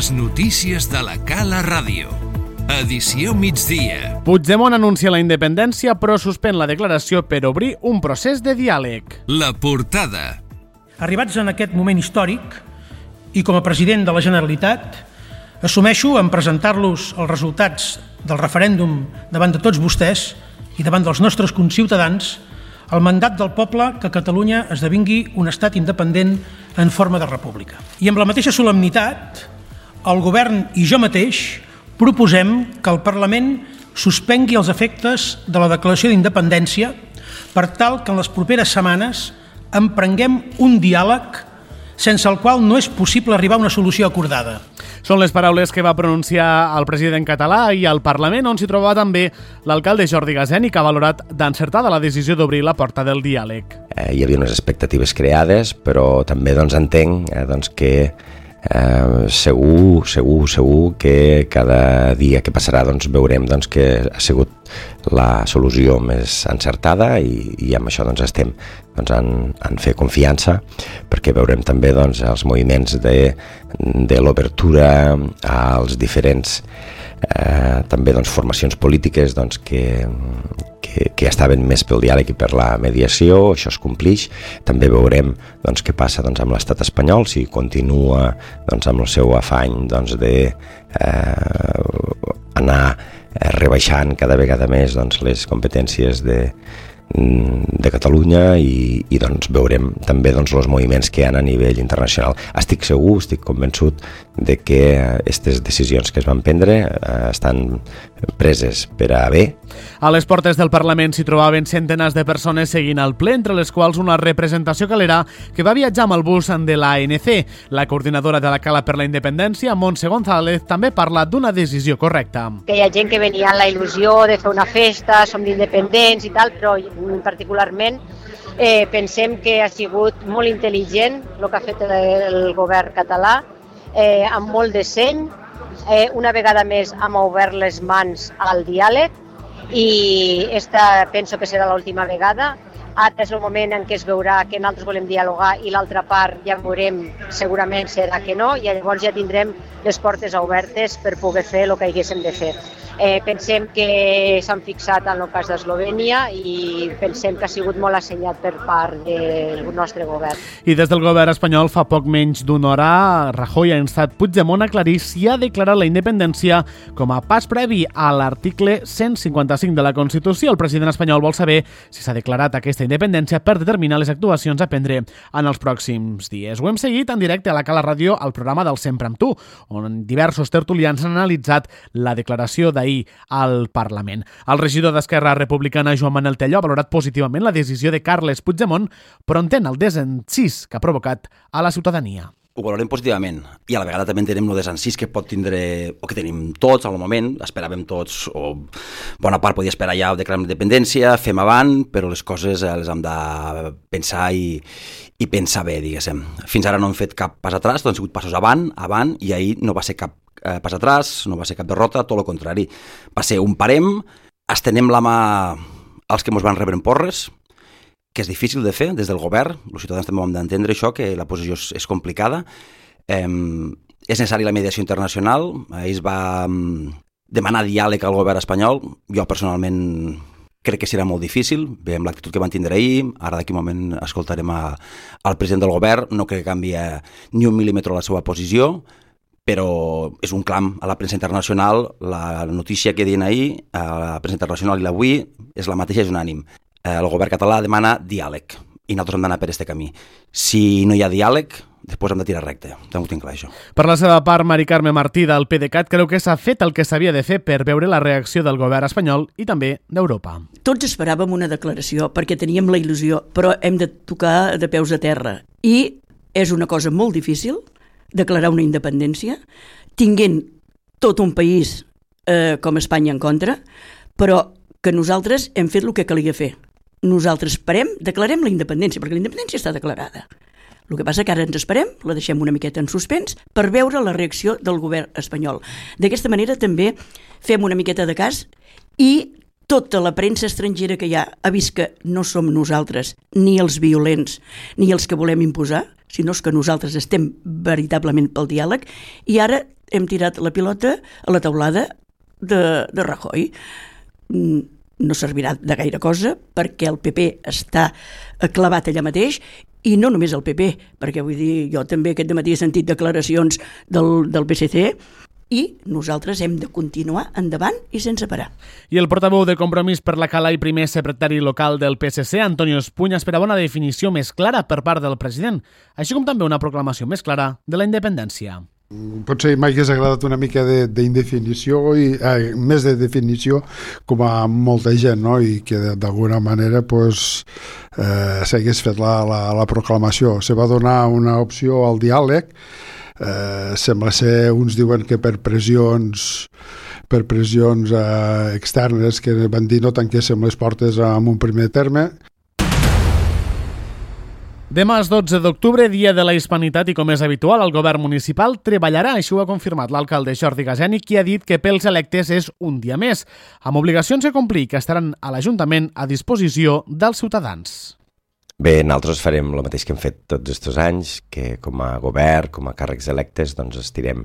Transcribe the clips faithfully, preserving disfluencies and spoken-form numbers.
Les notícies de la Cala Ràdio. Edició migdia. Puigdemont anuncia la independència però suspèn la declaració per obrir un procés de diàleg. La portada. Arribats en aquest moment històric i com a president de la Generalitat, assumeixo en presentar-los els resultats del referèndum davant de tots vostès i davant dels nostres conciutadans el mandat del poble que Catalunya esdevingui un estat independent en forma de república. I amb la mateixa solemnitat, el govern i jo mateix proposem que el Parlament suspengui els efectes de la declaració d'independència per tal que en les properes setmanes emprenguem un diàleg sense el qual no és possible arribar a una solució acordada. Són les paraules que va pronunciar el president català i al Parlament, on s'hi trobava també l'alcalde Jordi Gaseni, que ha valorat d'encertada la decisió d'obrir la porta del diàleg. Eh, hi havia unes expectatives creades, però també doncs, entenc eh, doncs, que eh, segur, segur, segur que cada dia que passarà doncs, veurem doncs, que ha sigut la solució més encertada i, i amb això doncs, estem doncs, en, en fer confiança, perquè veurem també doncs, els moviments de, de l'obertura als diferents eh, també doncs, formacions polítiques doncs, que, que, que estaven més pel diàleg i per la mediació. Això es complix. També veurem doncs, què passa doncs, amb l'estat espanyol, si continua doncs, amb el seu afany doncs, de eh, anar rebaixant cada vegada més doncs, les competències de, de Catalunya i, i doncs, veurem també doncs, els moviments que hi ha a nivell internacional. Estic segur, estic convençut de que aquestes decisions que es van prendre eh, estan preses per a bé. A les portes del Parlament s'hi trobaven centenars de persones seguint el ple, entre les quals una representació calera que va viatjar amb el bus de l'A N C. La coordinadora de la Cala per la Independència, Montse González, també parla d'una decisió correcta. Que hi ha gent que venia amb la il·lusió de fer una festa, som independents i tal, però particularment eh, pensem que ha sigut molt intel·ligent el que ha fet el govern català, eh, amb molt de seny, eh, una vegada més hem obert les mans al diàleg i esta penso que serà l'última vegada. Ara és el moment en què es veurà que nosaltres volem dialogar i l'altra part ja veurem, segurament serà que no, i llavors ja tindrem les portes obertes per poder fer el que haguéssim de fer. Eh, pensem que s'han fixat en el cas d'Eslovènia i pensem que ha sigut molt assenyat per part del nostre govern. I des del govern espanyol fa poc menys d'una hora, Rajoy ha instat Puigdemont a aclarir si ha declarat la independència com a pas previ a l'article cent cinquanta-cinc de la Constitució. El president espanyol vol saber si s'ha declarat aquesta independència per determinar les actuacions a prendre en els pròxims dies. Ho hem seguit en directe a la Cala Ràdio al programa del Sempre amb tu, on diversos tertulians han analitzat la declaració d'ahir al Parlament. El regidor d'Esquerra Republicana, Joan Manel Telló, ha valorat positivament la decisió de Carles Puigdemont, però entén el desencís que ha provocat a la ciutadania. Ho valorem positivament i a la vegada també entenem el desencís que pot tindre, o que tenim tots al moment, esperàvem tots, o bona part podia esperar ja declarar independència, fem avant, però les coses les hem de pensar i, i pensar bé, diguéssim. Fins ara no hem fet cap pas atràs, doncs han sigut passos avant, avant, i ahir no va ser cap eh, pas atràs, no va ser cap derrota, tot el contrari. Va ser un parem, estenem la mà als que ens van rebre en porres, que és difícil de fer des del govern, els ciutadans també ho hem d'entendre això, que la posició és, és complicada. Eh, és necessària la mediació internacional, ells va demanar diàleg al govern espanyol, jo personalment crec que serà molt difícil, veiem l'actitud que van tindre ahir, ara d'aquí un moment escoltarem a, al president del govern, no crec que canvi ni un mil·límetre la seva posició, però és un clam a la premsa internacional, la notícia que diuen ahir, a la premsa internacional i l'avui, és la mateixa, és unànim. El govern català demana diàleg i nosaltres hem d'anar per aquest camí. Si no hi ha diàleg, després hem de tirar recte. També ho tinc clar, això. Per la seva part, Mari Carme Martí del PDeCAT creu que s'ha fet el que s'havia de fer per veure la reacció del govern espanyol i també d'Europa. Tots esperàvem una declaració perquè teníem la il·lusió, però hem de tocar de peus a terra. I és una cosa molt difícil declarar una independència, tinguent tot un país eh, com Espanya en contra, però que nosaltres hem fet el que calia fer. Nosaltres esperem, declarem la independència, perquè la independència està declarada. El que passa que ara ens esperem, la deixem una miqueta en suspens, per veure la reacció del govern espanyol. D'aquesta manera també fem una miqueta de cas i tota la premsa estrangera que hi ha ha vist que no som nosaltres ni els violents ni els que volem imposar, sinó que nosaltres estem veritablement pel diàleg, i ara hem tirat la pilota a la teulada de, de Rajoy. No servirà de gaire cosa perquè el P P està clavat allà mateix, i no només el P P, perquè vull dir, jo també aquest dematí he sentit declaracions del, del P S C, i nosaltres hem de continuar endavant i sense parar. I el portaveu de Compromís per la Cala i primer secretari local del P S C, Antonio Espuny, esperava una definició més clara per part del president, així com també una proclamació més clara de la independència. Potser mai hagués agradat una mica d'indefinició, i eh, més de definició, com a molta gent, no? I que d'alguna manera pues, eh, s'hagués fet la, la, la proclamació. Se va donar una opció al diàleg. Eh, sembla ser, uns diuen que per pressions per pressions eh, externes, que van dir no tanquéssim les portes en un primer terme. Demà és dotze d'octubre, dia de la Hispanitat, i com és habitual, el govern municipal treballarà, així ho ha confirmat l'alcalde Jordi Gaseni, qui ha dit que pels electes és un dia més, amb obligacions a complir que estaran a l'Ajuntament a disposició dels ciutadans. Bé, nosaltres farem el mateix que hem fet tots aquests anys, que com a govern, com a càrrecs electes, doncs estirem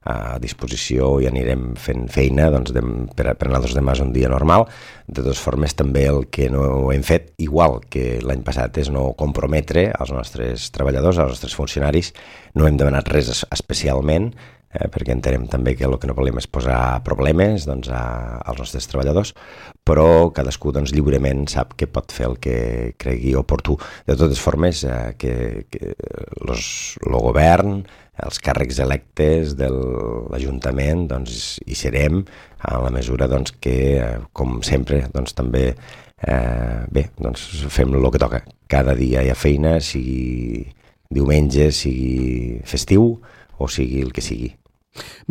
a disposició i anirem fent feina, doncs, de, per, per nosaltres demà és un dia normal. De totes formes, també el que no hem fet, igual que l'any passat, és no comprometre els nostres treballadors, els nostres funcionaris. No hem demanat res especialment, eh, perquè entenem també que el que no volem és posar problemes doncs, a, als nostres treballadors, però cadascú doncs, lliurement sap que pot fer el que cregui oportú. De totes formes, eh, que, que los, el govern, els càrrecs electes de l'Ajuntament, doncs, hi serem en la mesura doncs, que, eh, com sempre, doncs, també eh, bé, doncs, fem el que toca. Cada dia hi ha feina, sigui diumenge, sigui festiu o sigui el que sigui.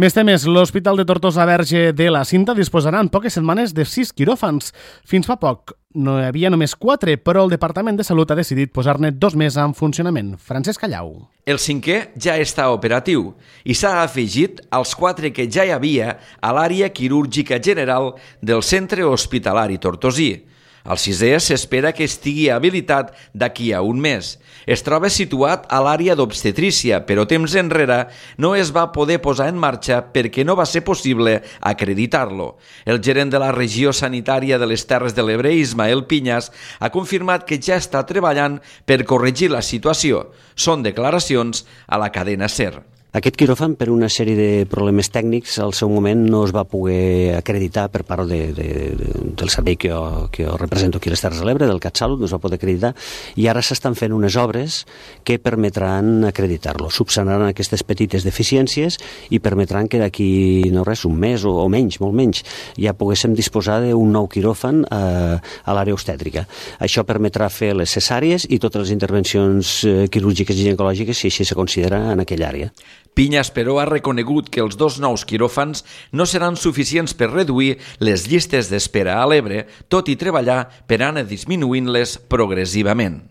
Més temes, l'Hospital de Tortosa Verge de la Cinta disposarà en poques setmanes de sis quiròfans. Fins fa poc no hi havia només quatre, però el Departament de Salut ha decidit posar-ne dos més en funcionament. Francesc Callau. El cinquè ja està operatiu i s'ha afegit als quatre que ja hi havia a l'àrea quirúrgica general del Centre Hospitalari Tortosí. El sisè s'espera que estigui habilitat d'aquí a un mes. Es troba situat a l'àrea d'obstetrícia, però temps enrere no es va poder posar en marxa perquè no va ser possible acreditar-lo. El gerent de la regió sanitària de les Terres de l'Ebre, Ismael Piñas, ha confirmat que ja està treballant per corregir la situació. Són declaracions a la cadena SER. Aquest quiròfan, per una sèrie de problemes tècnics, al seu moment no es va poder acreditar per part de, de, de, del servei que jo, que jo represento aquí a les Terres de l'Ebre, del CatSalut, no es va poder acreditar, i ara s'estan fent unes obres que permetran acreditar-lo. Subsanaran aquestes petites deficiències i permetran que d'aquí, no res, un mes o, o menys, molt menys, ja poguéssim disposar d'un nou quiròfan eh, a l'àrea obstètrica. Això permetrà fer les cesàries i totes les intervencions eh, quirúrgiques i ginecològiques, si així se considera, en aquella àrea. Piñas, però, ha reconegut que els dos nous quiròfans no seran suficients per reduir les llistes d'espera a l'Ebre, tot i treballar per anar disminuint-les progressivament.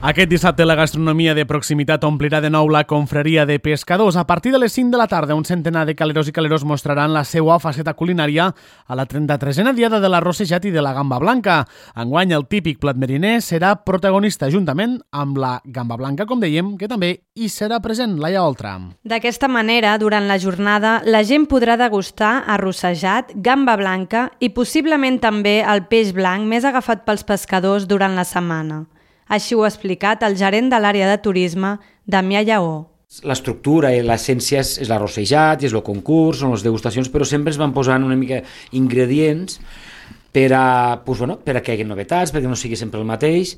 Aquest dissabte la gastronomia de proximitat omplirà de nou la confraria de pescadors. A partir de les cinc de la tarda, un centenar de caleros i caleros mostraran la seva faceta culinària a la trenta-tresena diada de l'arrossejat i de la gamba blanca. Enguany, el típic plat mariner serà protagonista juntament amb la gamba blanca, com dèiem, que també hi serà present, Laia Oltra. D'aquesta manera, durant la jornada, la gent podrà degustar arrossejat, gamba blanca i possiblement també el peix blanc més agafat pels pescadors durant la setmana. Així ho ha explicat el gerent de l'àrea de turisme, Damià Lleó. L'estructura i l'essència és, és l'arrossejat, és el concurs, són les degustacions, però sempre es van posant una mica ingredients per a, pues, bueno, per a que hi hagi novetats, perquè no sigui sempre el mateix.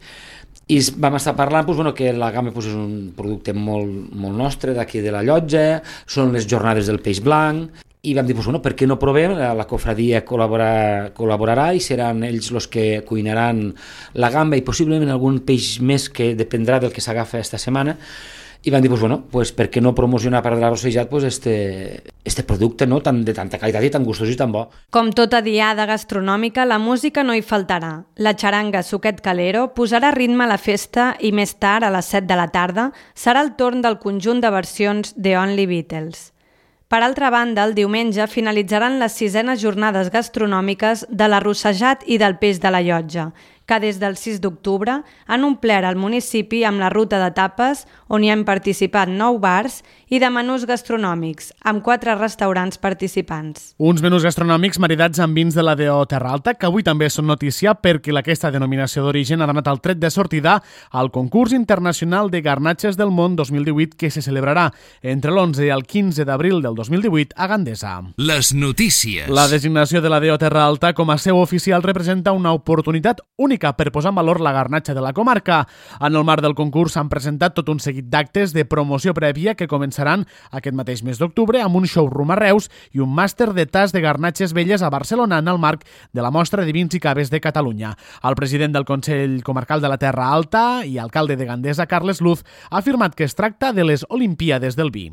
I vam estar parlant pues, bueno, que la gamba pues, és un producte molt, molt nostre d'aquí de la Llotja, són les jornades del peix blanc, i vam dir, pues, bueno, per què no provem? La, la cofradia col·laborarà, col·laborarà i seran ells els que cuinaran la gamba i possiblement algun peix més que dependrà del que s'agafa aquesta setmana. I vam dir, pues, bueno, pues, per què no promocionar per l'arrossejat pues, este, este producte no? Tan, de tanta qualitat i tan gustós i tan bo. Com tota diada gastronòmica, la música no hi faltarà. La xaranga Suquet Calero posarà ritme a la festa i més tard, a les set de la tarda, serà el torn del conjunt de versions de Only Beatles. Per altra banda, el diumenge finalitzaran les sisenes jornades gastronòmiques de l'arrossejat i del peix de la Llotja, que des del sis d'octubre han omplert el municipi amb la ruta de tapes on hi han participat nou bars i de menús gastronòmics, amb quatre restaurants participants. Uns menús gastronòmics maridats amb vins de la D O Terra Alta, que avui també són notícia perquè aquesta denominació d'origen ha donat el tret de sortida al concurs internacional de garnatges del món dos mil divuit que se celebrarà entre l'onze i el quinze d'abril del dos mil divuit a Gandesa. Les notícies. La designació de la D O Terra Alta com a seu oficial representa una oportunitat única per posar en valor la garnatxa de la comarca. En el marc del concurs s'han presentat tot un seguit d'actes de promoció prèvia que començaran aquest mateix mes d'octubre amb un showroom a Reus i un màster de tas de garnatxes velles a Barcelona en el marc de la Mostra de Vins i Caves de Catalunya. El president del Consell Comarcal de la Terra Alta i alcalde de Gandesa, Carles Luz, ha afirmat que es tracta de les Olimpíades del vi.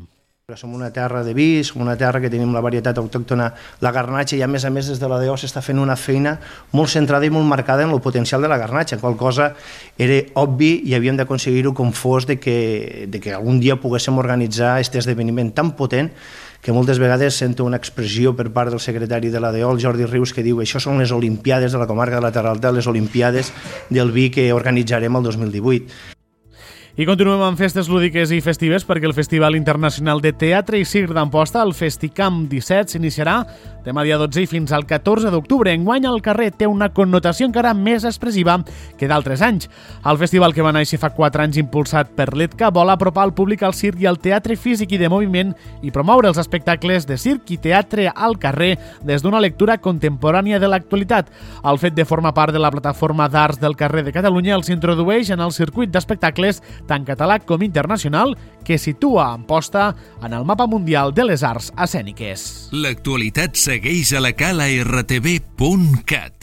Som una terra de vi, som una terra que tenim la varietat autòctona, la garnatxa, i a més a més des de la D O s'està fent una feina molt centrada i molt marcada en el potencial de la garnatxa, qual cosa era obvi i havíem d'aconseguir-ho com fos de que, de que algun dia poguéssim organitzar aquest esdeveniment tan potent que moltes vegades sento una expressió per part del secretari de la D O, el Jordi Rius, que diu això són les Olimpíades de la comarca de la Terra Alta, les Olimpíades del vi que organitzarem el dos mil divuit. I continuem amb festes lúdiques i festives perquè el Festival Internacional de Teatre i Circ d'Amposta, el Festicamp disset, s'iniciarà demà dia dotze i fins al catorze d'octubre. Enguany el carrer té una connotació encara més expressiva que d'altres anys. El festival, que va néixer fa quatre anys impulsat per l'E T C A, vol apropar el públic al circ i al teatre físic i de moviment i promoure els espectacles de circ i teatre al carrer des d'una lectura contemporània de l'actualitat. El fet de formar part de la plataforma d'arts del carrer de Catalunya els introdueix en el circuit d'espectacles tant català com internacional, que situa Amposta en el mapa mundial de les arts escèniques. L'actualitat segueix a la cala r t v punt cat.